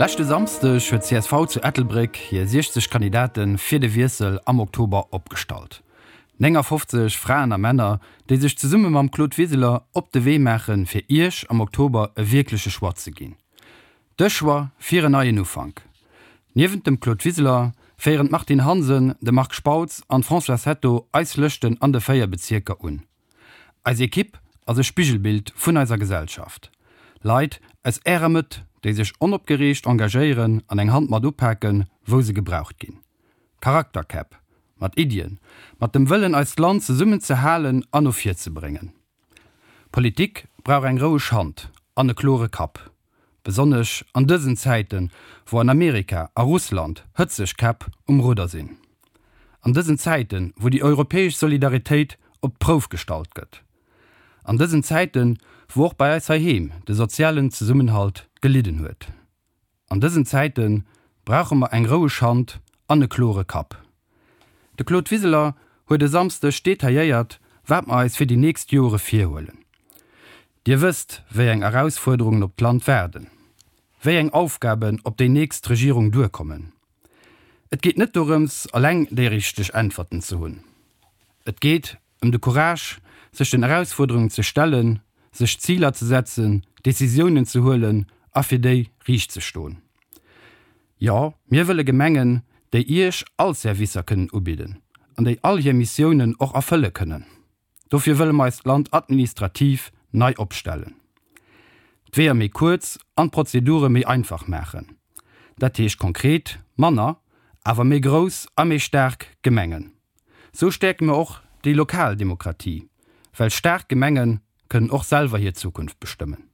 Leschte Samsdeg huet csv zu Ettelbréck hir 60 Kandidate fir de Wiessel am Oktober opgestallt. 59 Fraen a Männer, déi sech zesumme mam Claude Wiseler op de Wee maache fir Iech am Oktober e wierkleche Choix ze ginn. De Choix fir en neien Ufank. Niewent dem Claude Wiseler féieren d'Martine Hansen, de Marc Spautz an d'Françoise Hetto eis Lëschten an de 4 Bezierker un. Eis Ekipp ass e Spigelbild vun eiser Gesellschaft. Leit aus ärer Mëtt, déi sech onopgereegt engagéieren an eng Hand mat upaken, wou se gebraucht ginn. Charakterkäpp, mat Iddien, mat dem Wëllen eist Land zesummen ze halen an no vir ze bréngen. Politik brauch eng roueg Hand an e klore Kapp. Besonnesch an dësen Zäiten, wou an Amerika a Russland hëtzeg Käpp um Rudder sinn. An dësen Zäiten, wou déi europäesch Solidaritéit op d'Prouf gestallt gëtt. An dësen Zäiten, wou och bei eis heiheem de sozialen Zesummenhalt gelidden huet. An dësen Zäite brauche mer eng roueg Hand an e klore Kapp. De Claude Wiseler huet e Samsdeg detailléiert, wat mer eis fir déi nächst Jore virhuelen. Dir wësst, wéi eng Erausfuerderungen op d'Land waarden, wéi eng Aufgaben op déi nächst Regierung duerkommen. Et geet net dorëms, eleng déi richteg Äntwerten ze hunn. Et geet ëm de Courage, sech den Erausfuerderungen ze stellen, sech Ziler ze setzen, Decisiounen ze huelen a fir déi riicht ze stoen. Jo, mir wëlle Gemengen, déi Iech all Servicer kënnen ubidden an déi all hir Missiounen och erfëlle kënnen. Dofir wëlle mer eist Land administrativ nei opstellen, d'Weeër méi kuerz an d'Prozedure méi einfach maachen. Dat heescht konkret, manner, awer méi grouss a méi staark Gemengen. Sou stäerke mer och déi lokal Demokratie, well staark Gemenge kënnen och selwer hir Zukunft bestëmmen.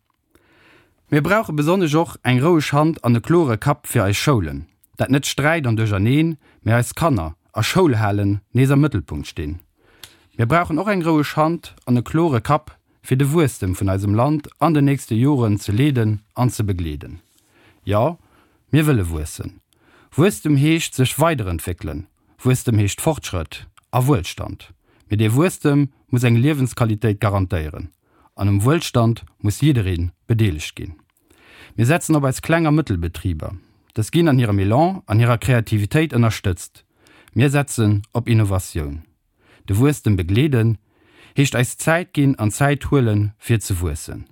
Mir brauche besonnesch och eng roueg Hand an e klore Kapp fir eis Schoulen, dat net Sträit an Duercherneen, mä eis Kanner a Schoulhalen nees am Mëttelpunkt stinn. Mir brauchen och eng roueg Hand an e klore Kapp fir de Wuesstem vun eisem Land an den nächste Joren ze leeden an ze begleeden. Jo, mir wëlle wuessen. Wuesstem heescht sech weiderentwéckelen, Wuesstem heescht Fortschrëtt a Wuelstand. Mee dee Wuesstem muss eng Liewensqualitéit garantéieren. An um Wuelstand muss jidderee bedeelegt ginn. Mir setzen op eis Kleng a Mëttelbetriber. Dës ginn an hirem Elan, an hirer Kreativitéit ënnerstëtzt. Mir setzen op Innovatioun. De Wuesstem begleeden heescht eis Zäit ginn an Zäit huelen, fir ze wuessen.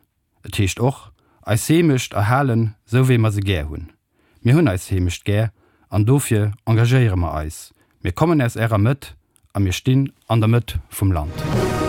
Et heescht och, eis Heemecht erhalen, sou wéi mer se gär hunn. Mir hunn eis Heemecht gär an dofir engagéiere mer eis. Mir kommen aus Ärer Mëtt a mir stinn an der Mëtt vum Land.